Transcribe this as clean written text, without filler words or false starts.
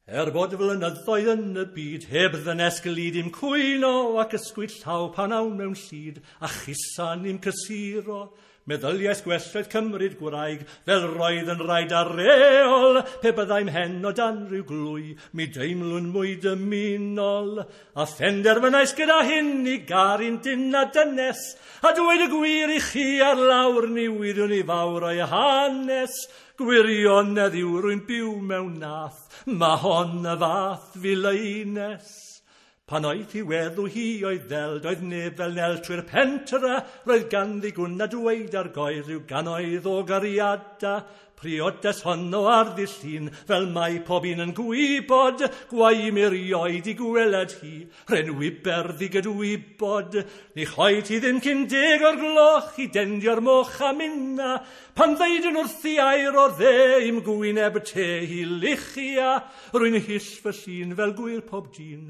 Er bod flynyddoedd yn y byd, heb ddynes glyd i'm cwyno, ac ysgwyd llaw pan awn mewn llid, a chusan i'm cysuro. Meddyliais gwell oedd cymryd gwraig, fel roedd yn rhaid ar reol, pe byddai'm hen o dan ryw glwy, mi deimlwn mwy dymunol. A phenderfynais gyda hyn i garu'n dyn a dynes, a dweud y gwir i chi ar lawr, ni wyddwn i fawr o'i hanes. Gwirionedd yw rwy'n byw mewn nath, mae hon y fath fileines. Pan oedd hi weddw hi oedd ddel, doedd neb fel Nel trwy'r pentre, roedd ganddi gwn a dweud ar goedd rhyw gannoedd o gariada. Priodas honno ar ddydd Llun, fel mae pob un yn gwybod, gwae mi erioed i gweled hi, rhen wiber ddigydwybod. Ni choed hi ddim cyn 10 o'r gloch i dendio'r moch a minna, pan ddeudwn wrthi air o'r dde i'm gwyneb te hi luchia, rwy'n hyll fy llun fel gwir pob dyn.